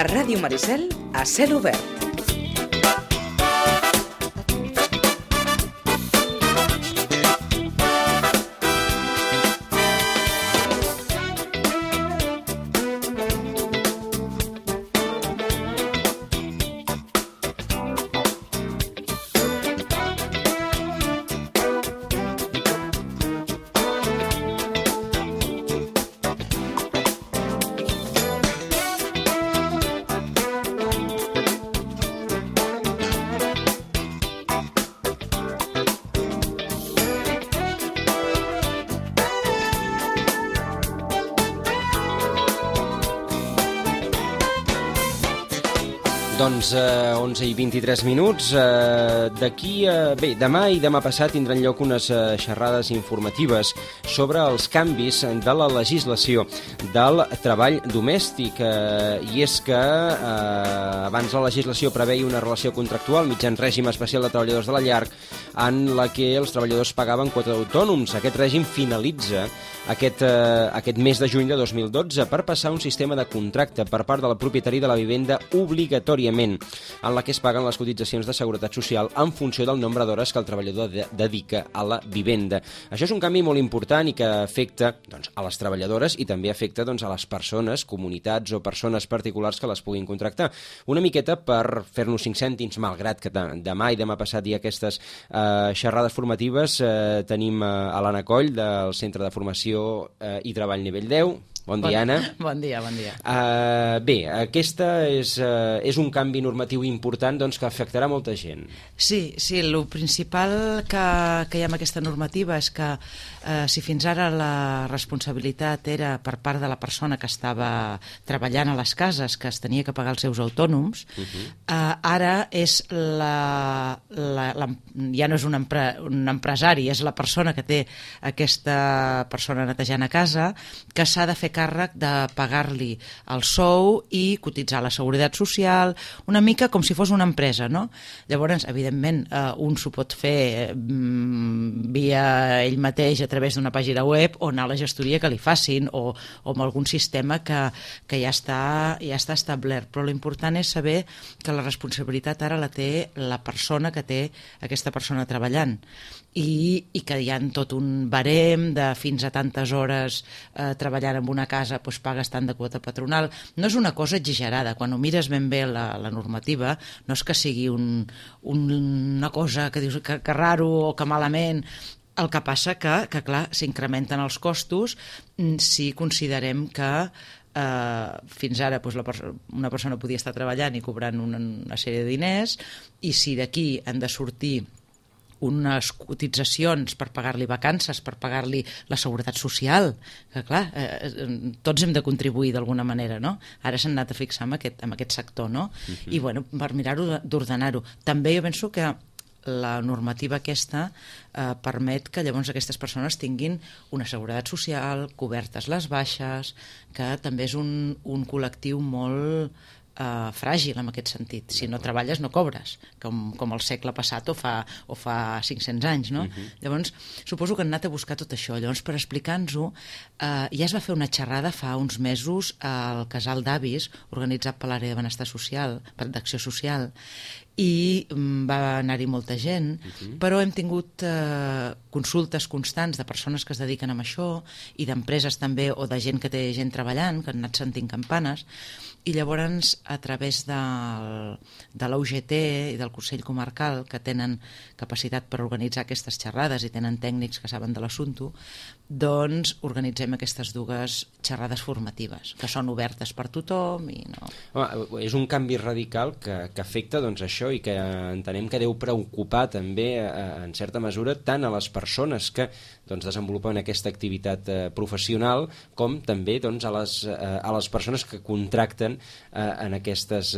A Ràdio Maricel, a cel obert. Doncs 11:23. Bé, demà i demà passat tindran lloc unes xerrades informatives sobre els canvis de la legislació del treball domèstic. I és que abans la legislació preveia una relació contractual mitjançant règim especial de treballadors de la llar en la que els treballadors pagaven quota d'autònoms. Aquest règim finalitza aquest mes de juny de 2012 per passar a un sistema de contracte per part del propietari de la vivenda obligatòriament, en la que es paguen les cotitzacions de seguretat social en funció del nombre d'hores que el treballador dedica a la vivenda. Això és un canvi molt important i que afecta a les treballadores i també afecta a les persones, comunitats o persones particulars que les puguin contractar. Una miqueta per fer-nos 5 cèntims, malgrat que demà i demà passat hi ha aquestes xerrades formatives. Tenim a l'Anna Coll del Centre de Formació i Treball Nivell 10. Bon dia, Anna. Bon dia, bon dia. Bé, aquesta és un canvi normatiu important que afectarà molta gent. Sí, el principal que hi ha amb aquesta normativa és que si fins ara la responsabilitat era per part de la persona que estava treballant a les cases, que es tenia que pagar els seus autònoms, ara és ja no és un empresari, és la persona que té aquesta persona netejant a casa, que s'ha de fer càrrec de pagar-li el sou i cotitzar la seguretat social, una mica com si fos una empresa, no? Llavors, evidentment, un s'ho pot fer via ell mateix a través d'una pàgina web o anar a la gestoria que li facin o amb algun sistema que ja està establert, però l'important és saber que la responsabilitat ara la té la persona que té aquesta persona treballant i que hi ha tot un barem de fins a tantes hores treballant en una casa, doncs pagues tant de quota patronal. No és una cosa exagerada, quan ho mires ben bé la normativa, no és que sigui una cosa que dius que raro o que malament. El que passa que clar, s'incrementen els costos si considerem que fins ara una persona podia estar treballant i cobrant una sèrie de diners, i si d'aquí han de sortir unes cotitzacions per pagar-li vacances, per pagar-li la seguretat social, que clar, tots hem de contribuir d'alguna manera, no? Ara s'han anat a fixar en aquest sector, no? I bueno, per mirar-ho d'ordenar-ho. També jo penso que la normativa aquesta permet que llavors aquestes persones tinguin una seguretat social, cobertes les baixes, que també és un col·lectiu molt fràgil en aquest sentit. Si no treballes no cobres, com el segle passat o fa 500 anys, no? Llavors, suposo que han anat a buscar tot això. Llavors, per explicar-nos-ho, ja es va fer una xerrada fa uns mesos al Casal d'Avis, organitzat per l'àrea de benestar social, d'acció social, i va anar-hi molta gent, però hem tingut consultes constants de persones que es dediquen a això i d'empreses també, o de gent que té gent treballant, que han anat sentint campanes, i llavors a través de la UGT i del Consell Comarcal, que tenen capacitat per organitzar aquestes xerrades i tenen tècnics que saben de l'assumpte, doncs organitzem aquestes dues xerrades formatives, que són obertes per tothom i no... Home, és un canvi radical que afecta això i que entenem que deu preocupar també en certa mesura tant a les persones que desenvolupen aquesta activitat professional com també a les persones que contracten en aquestes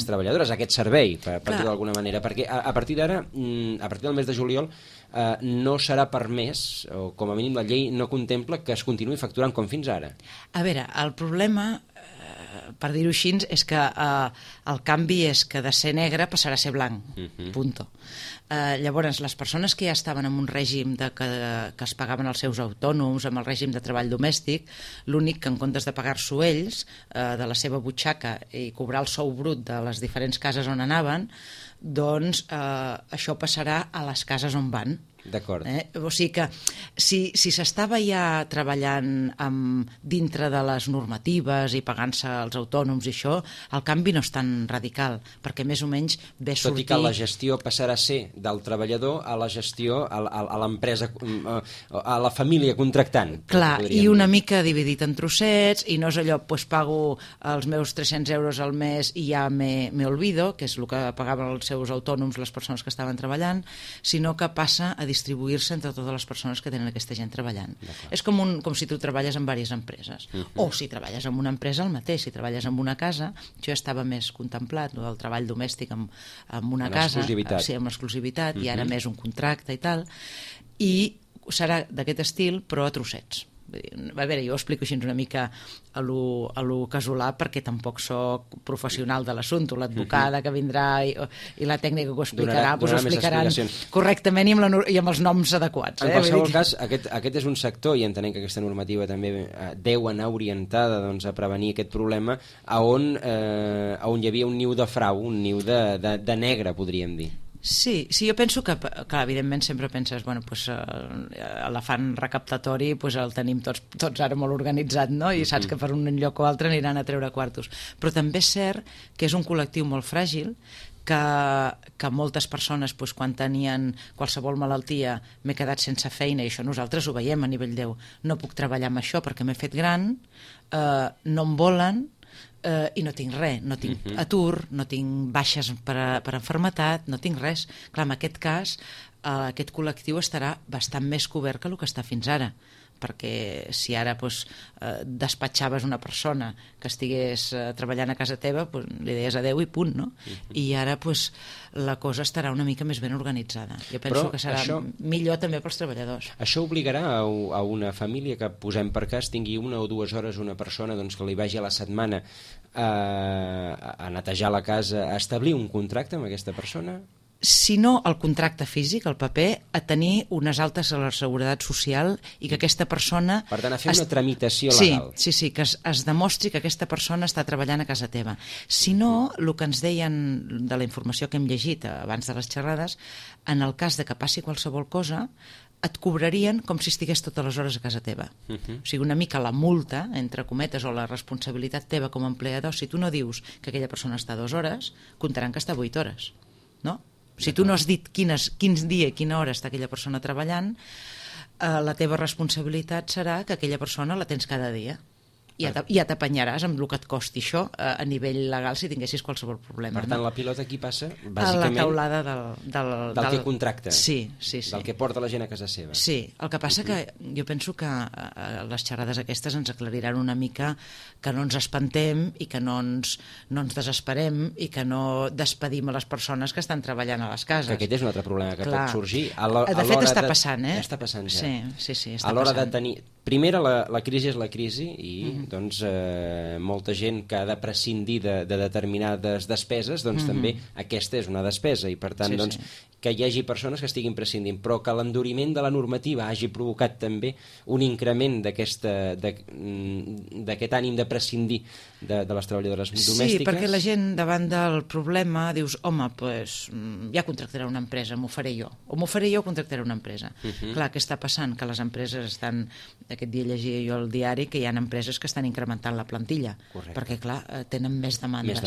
treballadores, aquest servei, per dir d'alguna manera, perquè a partir d'ara, a partir del mes de juliol, no serà permès, o com a mínim la llei no contempla que es continuï facturant com fins ara. A veure, el problema per dir-ho així, és que el canvi és que de ser negre passarà a ser blanc, punto. Llavors, les persones que ja estaven en un règim que es pagaven els seus autònoms, amb el règim de treball domèstic, l'únic que en comptes de pagar-s'ho ells, de la seva butxaca, i cobrar el sou brut de les diferents cases on anaven, doncs això passarà a les cases on van. D'acord. O sigui que si s'estava ja treballant dintre de les normatives i pagant-se els autònoms i això, el canvi no és tan radical, perquè més o menys ve sortir... Tot i que la gestió passarà a ser del treballador a la gestió a l'empresa, a la família contractant. Clar, i una mica dividit en trossets, i no és allò, doncs pago els meus 300 euros al mes i ja me olvido, que és el que pagaven els seus autònoms les persones que estaven treballant, sinó que passa a distribuir-se entre totes les persones que tenen aquesta gent treballant. És com si tu treballes en diverses empreses. O si treballes en una empresa, el mateix. Si treballes en una casa, això ja estava més contemplat, el treball domèstic en una casa, sí, amb exclusivitat, i ara més un contracte i tal, i serà d'aquest estil, però a trossets. A veure, jo ho explico així una mica a lo casolà, perquè tampoc soc professional de l'assumpte. L'advocada que vindrà i la tècnica que ho explicarà, doncs ho explicaran correctament i amb els noms adequats. En qualsevol cas, aquest és un sector, i entenem que aquesta normativa també deu anar orientada a prevenir aquest problema, on hi havia un niu de frau, un niu de negre, podríem dir. Sí, jo penso que evidentment sempre penses, l'afany recaptatori el tenim tots ara molt organitzat, no? I saps que per un lloc o altre aniran a treure quartos. Però també és cert que és un col·lectiu molt fràgil, que moltes persones, quan tenien qualsevol malaltia, m'he quedat sense feina, i això nosaltres ho veiem a nivell no puc treballar amb això perquè m'he fet gran, no em volen, i no tinc res, no tinc atur, no tinc baixes per enfermetat, no tinc res. Clar, en aquest cas, aquest col·lectiu estarà bastant més cobert que el que està fins ara, perquè si ara despatxaves una persona que estigués treballant a casa teva, li deies adeu i punt, no? I ara la cosa estarà una mica més ben organitzada. Jo penso que serà millor també pels treballadors. Això obligarà a una família que, posem per cas, tingui 1 o 2 hores una persona que li vagi a la setmana a netejar la casa, a establir un contracte amb aquesta persona? Si no el contracte físic, el paper, a tenir unes altes a la Seguretat Social i que aquesta persona... Per tant, a fer una tramitació legal. Sí, que es demostri que aquesta persona està treballant a casa teva. Si no, el que ens deien de la informació que hem llegit abans de les xerrades, en el cas de que passi qualsevol cosa, et cobrarien com si estigués totes les hores a casa teva. O sigui, una mica la multa, entre cometes, o la responsabilitat teva com a empleador, si tu no dius que aquella persona està 2 hores, comptaran que està 8 hores, no? Si tu no has dit quin dia i quina hora està aquella persona treballant, la teva responsabilitat serà que aquella persona la tens cada dia. I ja t'apanyaràs amb el que et costi això a nivell legal si tinguessis qualsevol problema. Per tant, la pilota aquí passa, bàsicament, a la taulada del que contracta, sí. del que porta la gent a casa seva. Sí, el que passa que jo penso que les xerrades aquestes ens aclariran una mica que no ens espantem i que no ens desesperem i que no despedim a les persones que estan treballant a les cases. Que aquest és un altre problema que pot sorgir. De fet, està passant, Està passant ja. Sí, està passant. A l'hora de tenir... Primera, la crisi és la crisi i molta gent que ha de prescindir de determinades despeses, també aquesta és una despesa i per tant que hi hagi persones que estiguin prescindint, però que l'enduriment de la normativa hagi provocat també un increment d'aquest ànim de prescindir de les treballadores domèstiques. Sí, perquè la gent davant del problema dius, home, ja contractaré una empresa, m'ho faré jo, o m'ho faré jo o contractaré una empresa. Clar, què està passant? Que les empreses estan, aquest dia llegia jo al diari que hi ha empreses que estan incrementant la plantilla, perquè clar, tenen més demandes.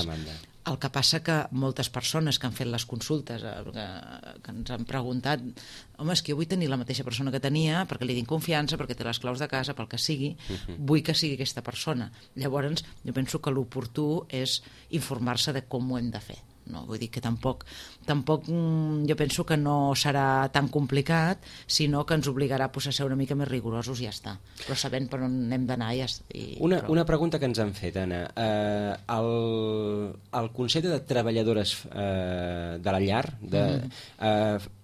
El que passa que moltes persones que han fet les consultes, que ens han preguntat, home, és que jo vull tenir la mateixa persona que tenia perquè li tinc confiança, perquè té les claus de casa, pel que sigui, vull que sigui aquesta persona. Llavors, jo penso que l'oportú és informar-se de com ho hem de fer. No, vull dir que tampoc jo penso que no serà tan complicat, sinó que ens obligarà a ser una mica més rigorosos i ja està, però sabent per on hem d'anar una pregunta que ens han fet, Anna, el concepte de treballadores de la llar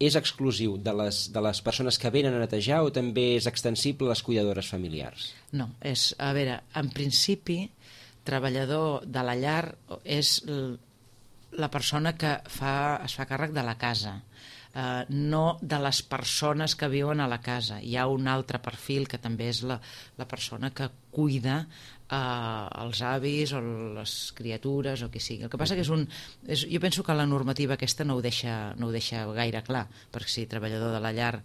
és exclusiu de les persones que venen a netejar o també és extensible a les cuidadores familiars? No, a veure, en principi treballador de la llar és la persona que es fa càrrec de la casa, no de les persones que viuen a la casa. Hi ha un altre perfil que també és la persona que cuida els avis o les criatures o qui sigui. El que passa que jo penso que la normativa aquesta no ho deixa gaire clar, perquè si treballador de la llar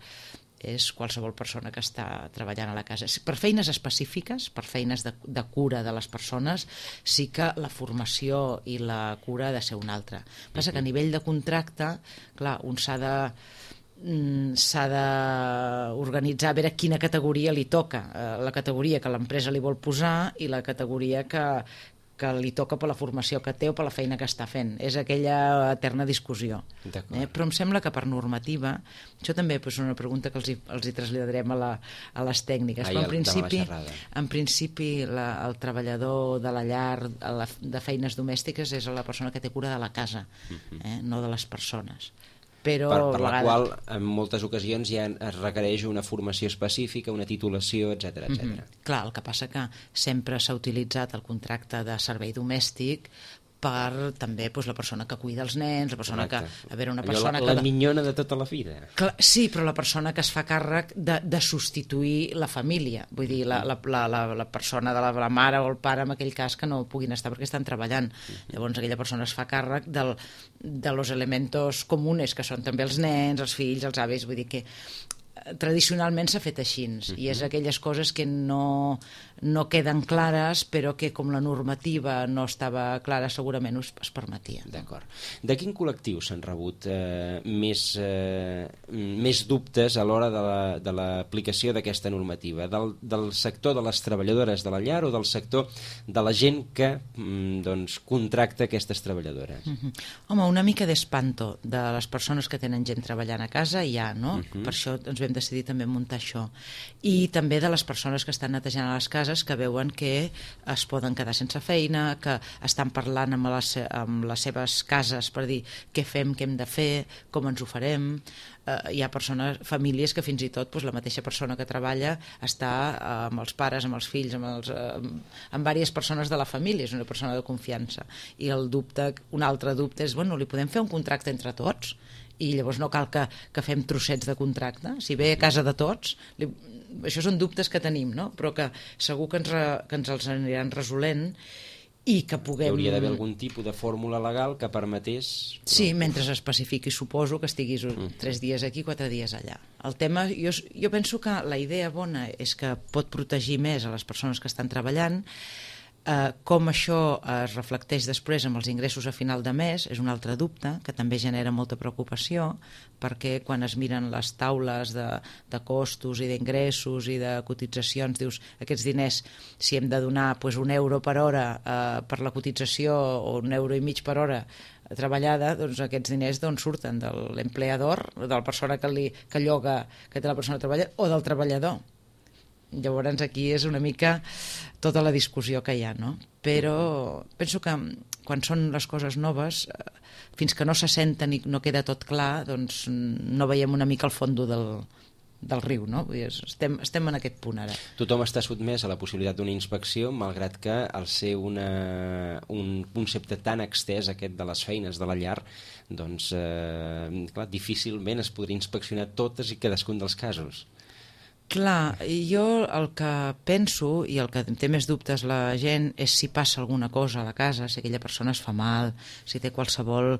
és qualsevol persona que està treballant a la casa. Per feines específiques, per feines de cura de les persones, sí que la formació i la cura ha de ser una altra. Passa que a nivell de contracte, clar, un s'ha d'organitzar a veure quina categoria li toca, la categoria que l'empresa li vol posar i la categoria que li toca per la formació que té o per la feina que està fent. És aquella eterna discussió. Però em sembla que per normativa, això també és una pregunta que els hi traslladarem a les tècniques, però en principi el treballador de la llar de feines domèstiques és la persona que té cura de la casa, no de les persones. Però per la qual en moltes ocasions ja es requereix una formació específica, una titulació, etc. Clar, el que passa que sempre s'ha utilitzat el contracte de servei domèstic per també la persona que cuida els nens, la persona que... La minyona de tota la vida. Sí, però la persona que es fa càrrec de substituir la família, vull dir, la persona de la mare o el pare, en aquell cas, que no puguin estar perquè estan treballant. Llavors aquella persona es fa càrrec de los elementos comunes, que són també els nens, els fills, els avis, vull dir que tradicionalment s'ha fet així, i és aquelles coses que no queden clares, però que com la normativa no estava clara segurament es permetia. D'acord. De quin col·lectiu s'han rebut més dubtes a l'hora de l'aplicació d'aquesta normativa? Del sector de les treballadores de la llar o del sector de la gent que contracta aquestes treballadores? Home, una mica d'espanto de les persones que tenen gent treballant a casa hi ha, no? Per això ens vam decidir també muntar això. I també de les persones que estan netejant a les cases, que veuen que es poden quedar sense feina, que estan parlant amb les seves cases per dir què fem, què hem de fer, com ens ho farem. Hi ha famílies que fins i tot la mateixa persona que treballa està amb els pares, amb els fills, amb diverses persones de la família, és una persona de confiança. I un altre dubte és, li podem fer un contracte entre tots? I llavors no cal que fem trossets de contracte, si ve a casa de tots. Això són dubtes que tenim, no? Però que segur que ens els aniran resolent i que puguem... Hi hauria d'haver algun tipus de fórmula legal que permetés... Sí, mentre s'especifiqui, suposo que estiguis 3 dies aquí, 4 dies allà. El tema, jo penso que la idea bona és que pot protegir més a les persones que estan treballant. Com això es reflecteix després amb els ingressos a final de mes és un altre dubte que també genera molta preocupació, perquè quan es miren les taules de costos i d'ingressos i de cotitzacions, dius, aquests diners, si hem de donar €1 per hora per la cotització o €1,50 per hora treballada, doncs aquests diners d'on surten? De l'empleador, de la persona que lloga, que té la persona que treballa, o del treballador? Llavors aquí és una mica tota la discussió que hi ha, no? Però penso que quan són les coses noves, fins que no se senten i no queda tot clar, doncs no veiem una mica el fons del riu, no? Vull dir, estem en aquest punt ara. Tothom està sotmès a la possibilitat d'una inspecció, malgrat que al ser un concepte tan extès, aquest de les feines de la llar, doncs, clar, difícilment es podria inspeccionar totes i cadascun dels casos. Clar, jo el que penso i el que té més dubtes la gent és si passa alguna cosa a la casa, si aquella persona es fa mal, si té qualsevol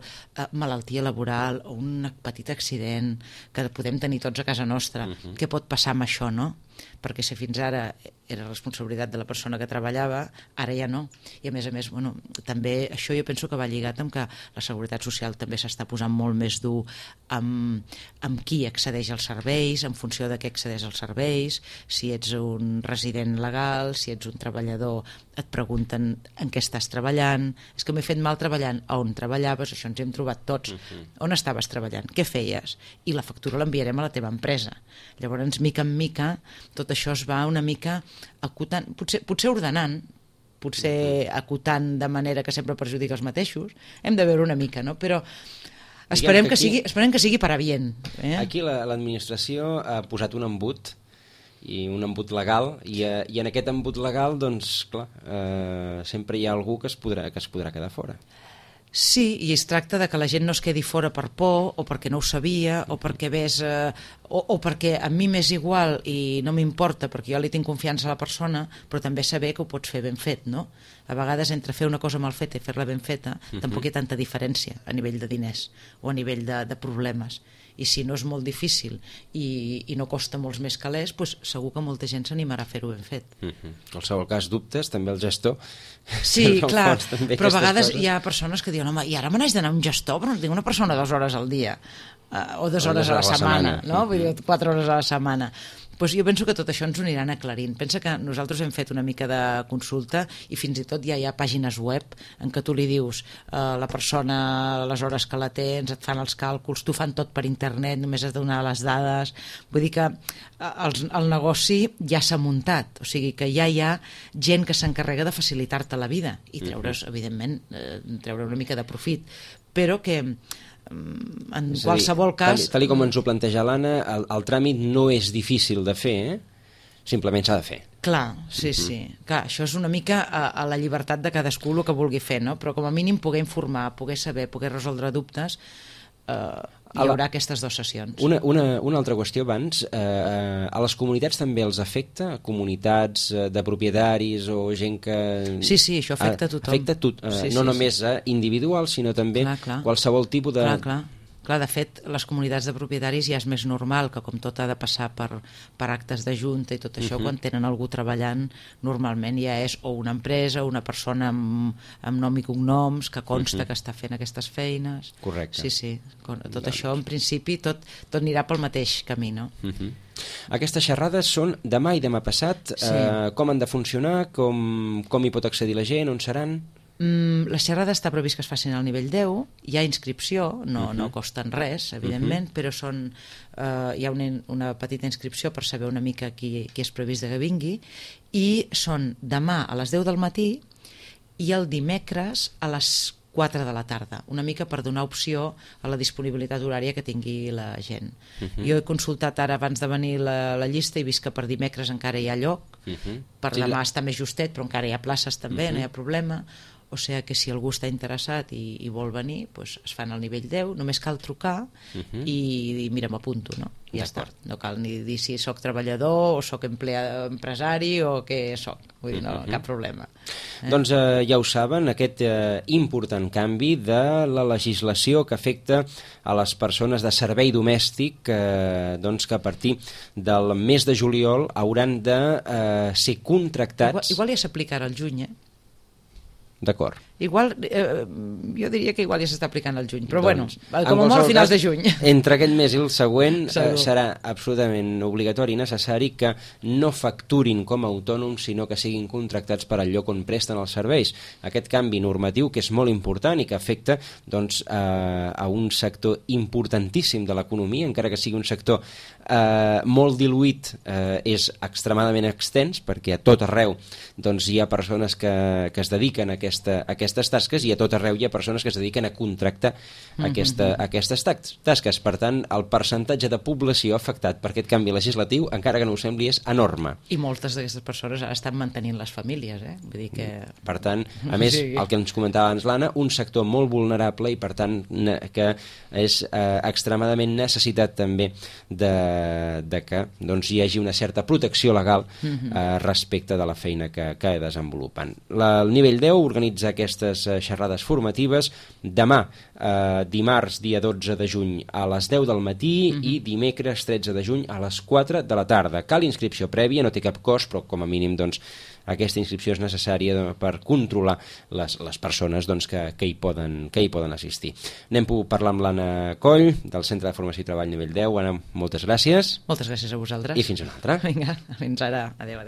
malaltia laboral o un petit accident que podem tenir tots a casa nostra. Què pot passar amb això, no? Perquè si fins ara era responsabilitat de la persona que treballava, ara ja no. I a més, també això jo penso que va lligat amb que la Seguretat Social també s'està posant molt més dur amb qui accedeix als serveis, en funció de què accedeix als serveis, si ets un resident legal, si ets un treballador, et pregunten en què estàs treballant, és que m'he fet mal treballant, on treballaves, això ens hem trobat tots, on estaves treballant, què feies, i la factura l'enviarem a la teva empresa. Llavors, mica en mica, tot això es va una mica acotant, potser ordenant, potser acotant de manera que sempre perjudica els mateixos, hem de veure una mica, no? Però esperem que sigui per a bien. Aquí l'administració ha posat un embut i un embut legal, i en aquest embut legal, doncs, clar, sempre hi ha algú que es podrà quedar fora. Sí, i es tracta de que la gent no es quedi fora per por, o perquè no ho sabia, o perquè ves... o perquè a mi m'és igual i no m'importa, perquè jo li tinc confiança a la persona, però també saber que ho pots fer ben fet, no? A vegades entre fer una cosa mal feta i fer-la ben feta tampoc hi ha tanta diferència a nivell de diners o a nivell de problemes. I si no és molt difícil i no costa molts més calés, doncs segur que molta gent s'animarà a fer-ho ben fet. En qualsevol cas, dubtes, també el gestor. Sí, clar, però a vegades hi ha persones que diuen, home, i ara me n'haig d'anar a un gestor, però no tinc una persona 2 hores al dia, o 2 hores a la setmana, no? Vull dir, 4 hores a la setmana. Doncs jo penso que tot això ens ho aniran aclarint. Pensa que nosaltres hem fet una mica de consulta i fins i tot ja hi ha pàgines web en què tu li dius la persona, les hores que la tens, et fan els càlculs, t'ho fan tot per internet, només has de donar les dades. Vull dir que el negoci ja s'ha muntat, o sigui que ja hi ha gent que s'encarrega de facilitar-te la vida i treure's, evidentment, treure una mica de profit, però que en qualsevol cas... Tal com ens ho planteja l'Anna, el tràmit no és difícil de fer, simplement s'ha de fer. Clar, sí. Clar, això és una mica a la llibertat de cadascú el que vulgui fer, no? Però com a mínim poder informar, poder saber, poder resoldre dubtes, hi haurà aquestes 2 sessions. Una altra qüestió abans, a les comunitats també els afecta? Comunitats de propietaris o gent que... Sí, això afecta a tothom. Afecta no només a individuals, sinó també qualsevol tipus de... Clar, de fet, les comunitats de propietaris ja és més normal que com tot ha de passar per actes de junta i tot això, quan tenen algú treballant, normalment ja és o una empresa o una persona amb nom i cognoms que consta que està fent aquestes feines. Correcte. Sí. Tot això, en principi, tot anirà pel mateix camí, no? Aquestes xerrades són demà i demà passat. Com han de funcionar? Com hi pot accedir la gent? On seran? La xerrada està previst que es facin al nivell 10, hi ha inscripció, no costen res, evidentment, però hi ha una petita inscripció per saber una mica qui és previst que vingui, i són demà a les 10 del matí i el dimecres a les 4 de la tarda, una mica per donar opció a la disponibilitat horària que tingui la gent. Jo he consultat ara abans de venir la llista i he vist que per dimecres encara hi ha lloc, per demà està més justet, però encara hi ha places també, no hi ha problema. O sigui que si algú està interessat i vol venir, doncs es fan al nivell 10, només cal trucar i mira, m'apunto, no? I ja està. No cal ni dir si soc treballador o soc empresari o què soc. Vull dir, no, cap problema. Doncs ja ho saben, aquest important canvi de la legislació que afecta a les persones de servei domèstic, doncs que a partir del mes de juliol hauran de ser contractats... Igual ja s'aplica ara al juny, D'acord. Igual, jo diria que igual ja s'està aplicant al juny, però doncs, bueno, com a molt a finals de juny. Entre aquest mes i el següent serà absolutament obligatori i necessari que no facturin com a autònoms, sinó que siguin contractats per al lloc on presten els serveis. Aquest canvi normatiu, que és molt important i que afecta doncs, a un sector importantíssim de l'economia, encara que sigui un sector molt diluït, és extremadament extens, perquè a tot arreu doncs, hi ha persones que es dediquen a aquestes tasques i a tot arreu hi ha persones que es dediquen a contractar aquestes tasques. Per tant, el percentatge de població afectat per aquest canvi legislatiu, encara que no ho sembli, és enorme. I moltes d'aquestes persones ara estan mantenint les famílies, Vull dir que... Per tant, a més, el que ens comentava abans l'Anna, un sector molt vulnerable i per tant que és extremadament necessitat també de que doncs, hi hagi una certa protecció legal respecte de la feina que desenvolupen. El nivell 10 organitza aquestes xerrades formatives demà, dimarts, dia 12 de juny, a les 10 del matí i dimecres 13 de juny a les 4 de la tarda. Cal inscripció prèvia, no té cap cost, però com a mínim doncs, aquesta inscripció és necessària per controlar les persones doncs, que hi poden assistir. Anem a parlar amb l'Anna Coll, del Centre de Formació i Treball nivell 10. Anna, moltes gràcies. Moltes gràcies a vosaltres. I fins una altra. Vinga, fins ara. Adéu.